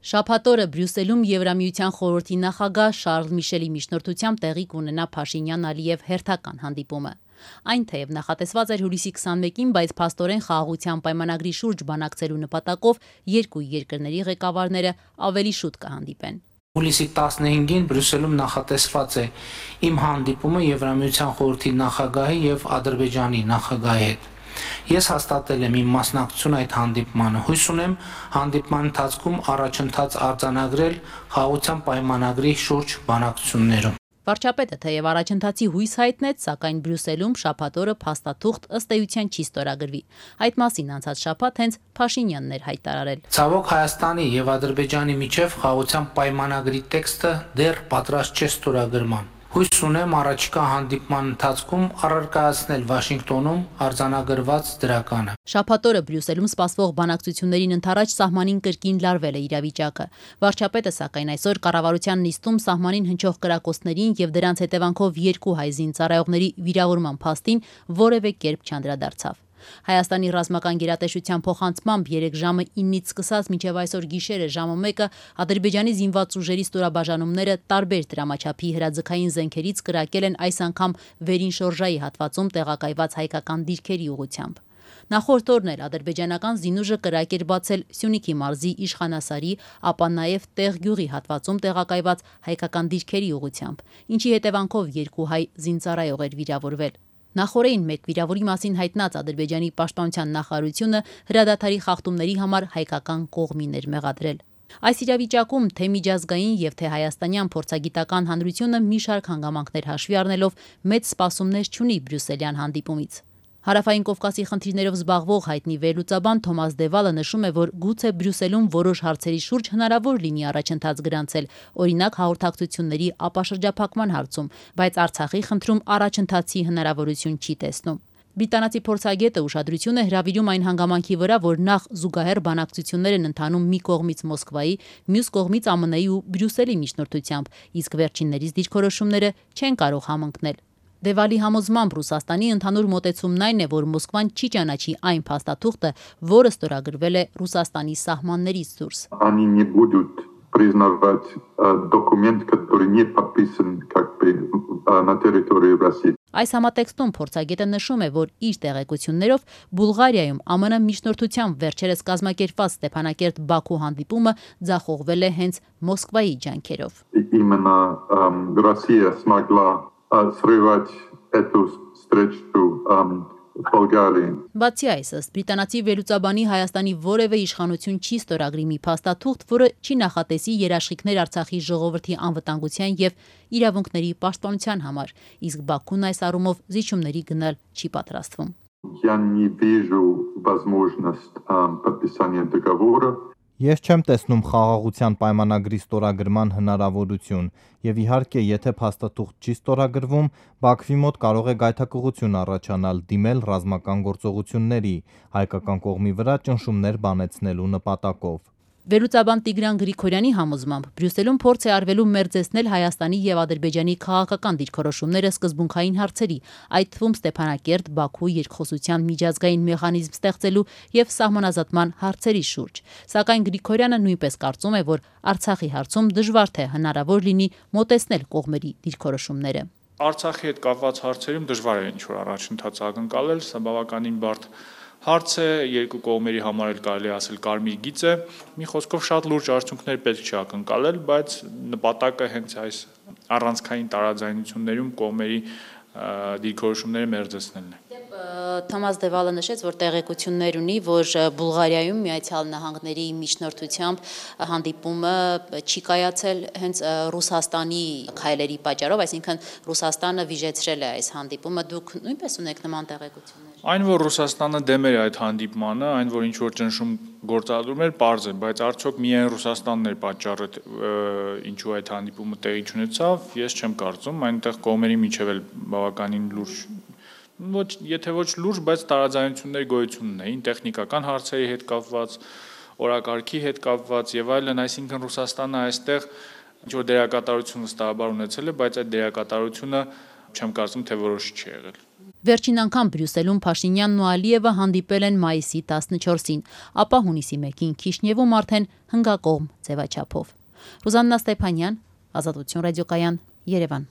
Շաբաթ օրը Բրյուսելում Եվրամիության խորհրդի նախագահ Շարլ Միշելի միջնորդությամբ տեղի կունենա Փաշինյան-Ալիև հերթական հանդիպումը։ Այն թեև նախատեսված էր հուլիսի 21-ին, բայց փաստորեն խաղաղության պայմանագրի շուրջ բանակցելու նպատակով երկու երկրների ղեկավարները ավելի շուտ կհանդիպեն։ Հուլիսի 15-ին Բրյուսելում նախատեսված է իմ հանդիպումը Եվրամիության խորհրդի նախագահի եւ Ադրբեջանի նախագահի հետ։ Ես հաստատել եմ իմ մասնակցությունը այդ հանդիպմանը։ Հույս ունեմ հանդիպման ընթացքում առաջընթաց արձանագրել խաղաղության պայմանագրի շուրջ բանակցություններում։ Վարչապետը թեև առաջընթացի հույս հայտնեց, սակայն Բրյուսելում շաբաթ օրը փաստաթուղթ ըստ էության չի ստորագրվի։ Այդ մասին անցած շաբաթ հենց Փաշինյանն էր հայտարարել։ Ցավոք Հայաստանի եւ Ադրբեջանի միջև խաղաղության պայմանագրի տեքստը դեռ պատրաստ չէ ստորագրման։ Հույս ունեմ առաջիկա հանդիպման ընթացքում առարկայացնել Վաշինգտոնում արձանագրված դրականը։ Շաբաթ օրը Բրյուսելում սպասվող բանակցություններին ընդառաջ սահմանին կրկին լարվել է իրավիճակը։ Վարչապետը սակայն այսօր կառավարության նիստում սահմանին հնչող կրակոցներին եւ դրանց հետևանքով երկու հայ զինծառայողների վիրավորման փաստին որևէ կերպ չանդրադարձավ։ Հայաստանի ռազմական գերատեսչության փոխանցմամբ 3 ժամը 9-ից սկսած մինչև այսօր գիշերը ժամը 1-ը Ադրբեջանի զինված ուժերի ստորաբաժանումները տարբեր դրամաչափի հրաձգային զենքերից կրակել են այս անգամ վերին շորժայի հատվածում տեղակայված հայկական դիրքերի ուղղությամբ։ Նախորդ օրն էլ ադրբեջանական զինուժը կրակ էր բացել Սյունիքի մարզի Իշխանասարի, ապա նաև Տեղ գյուղի հատվածում տեղակայված հայկական դիրքերի ուղղությամբ, ինչի հետևանքով երկու հայ զինծառայող էր վիրավորվել։ Նախորդին մեկ վիրավորի մասին հայտնած Ադրբեջանի պաշտպանության նախարարությունը հրադադարի խախտումների համար հայկական կողմին էր մեղադրել։ Այս իրավիճակում թե միջազգային եւ թե հայաստանյան փորձագիտական հանրությունը մի շարք հանգամանքներ հաշվի առնելով մեծ սպասումներ չունի բրյուսելյան հանդիպումից։ Հարավային Կովկասի խնդիրներով զբաղվող հայտնի վերլուծաբան Թոմաս Դևալը նշում է, որ գուցե Բրյուսելում որոշ հարցերի շուրջ հնարավոր լինի առաջընթաց գրանցել, օրինակ հաղորդակցությունների ապաշրջափակման հարցում, բայց Արցախի խնդրում առաջընթացի հնարավորություն չի տեսնում։ Բրիտանացի փորձագետը ուշադրություն է հրավիրում այն հանգամանքի վրա, որ նախ զուգահեռ բանակցություններ են ընթանում մի կողմից Մոսկվայի, մյուս կողմից ԱՄՆ-ի ու Բրյուսելի միջնորդությամբ, իսկ վերջիններից դիրքորոշումները չեն կարող համընկնել։ Դևալի համոզմամբ Ռուսաստանի ընդհանուր մոտեցումն այն է, որ Մոսկվան չի ճանաչի այն փաստաթուղթը, որը ստորագրվել է Ռուսաստանի սահմաններից դուրս։ Они не будут признавать документ, который не подписан как бы на территории России. Այս համատեքստում փորձագետը նշում է, որ իր տեղեկություններով Բուլղարիայում ԱՄՆ միջնորդությամբ վերջերս կազմակերպված Ստեփանակերտ-Բաքու հանդիպումը ձախողվել է հենց Մոսկվայի ջանքերով։ Именно Россия смогла срывать эту встречу Bulgaria. Բացի այս, ըստ բրիտանացի վերլուծաբանի Հայաստանի որևէ իշխանություն չի ստորագրի մի փաստաթուղթ, որը չի նախատեսի երաշխիքներ Արցախի ժողովրդի անվտանգության եւ իրավունքների պաշտպանության համար, իսկ Բաքուն այս առումով զիջումների գնալ չի պատրաստվում։ Я не вижу возможность подписания договора. Ես չեմ տեսնում խաղաղության պայմանագրի ստորագրման հնարավորություն եւ իհարկե եթե փաստաթուղթ չի ստորագրվում, Բաքվի մոտ կարող է գայթակղություն առաջանալ դիմել ռազմական գործողությունների, հայկական կողմի վրա ճնշումներ բանեցնելու նպատակով։ Վերլուծաբան Տիգրան Գրիգորյանի համոզմամբ Բրյուսելում փորձ է արվելու մերձեցնել Հայաստանի եւ Ադրբեջանի քաղաքական դիրքորոշումները սկզբունքային հարցերի, այդ թվում Ստեփանակերտ, Բաքու երկխոսության միջազգային մեխանիզմ ստեղծելու եւ սահմանազատման հարցերի շուրջ։ Սակայն Գրիգորյանը նույնպես կարծում է, որ Արցախի հարցում դժվար թե հնարավոր լինի մոտեցնել կողմերի դիրքորոշումները։ Արցախի հետ կապված հարցերում դժվար է ինչ-որ առաջընթաց ակնկալել, սա բավականին բարդ հարց է, երկու կողմերի համար էլ կարելի ասել կարմիր գիծ է, մի խոսքով շատ լուրջ արդյունքներ պետք չի ակնկալել, բայց նպատակը հենց այս առանցքային տարաձայնություններում կողմերի դիրքորոշումները մերձեցնելն է։ Թոմաս Դևալը նշեց, որ տեղեկություններ ունի, որ Բուլղարիայում Միացյալ Նահանգների միջնորդությամբ հանդիպումը չի կայացել հենց Ռուսաստանի քայլերի պատճառով, այսինքն Ռուսաստանը վիժեցրել է այս հանդիպումը, դուք նույնպես ունեք նման տեղեկություններ։ Այն, որ Ռուսաստանը դեմ էր այդ հանդիպմանը, այն, որ ինչ-որ ճնշում գործադրում էր, պարզ է, բայց արդյոք միայն Ռուսաստանն էր պատճառը, ինչու այդ հանդիպումը տեղի չունեցավ, ես չեմ կարծում, այնտեղ կողմերի միջև էլ բավականին լուրջ եթե ոչ լուրջ, բայց տարաձայնությունների գոյություն ունեին տեխնիկական հարցերի հետ կապված, օրակարգի հետ կապված եւ այլն, այսինքն Ռուսաստանը այստեղ ինչ-որ դերակատարություն վստահաբար ունեցել է, բայց այդ դերակատարությունը չեմ կարծում թե որոշ չի եղել։ Վերջին անգամ Բրյուսելում Փաշինյանն ու Ալիևը հանդիպել են մայիսի 14-ին, ապա հունիսի 1-ին Քիշնևում արդեն հնգակողմ ձևաչափով։ Ռուզաննա Ստեփանյան, Ազատություն ռադիոկայան, Երևան։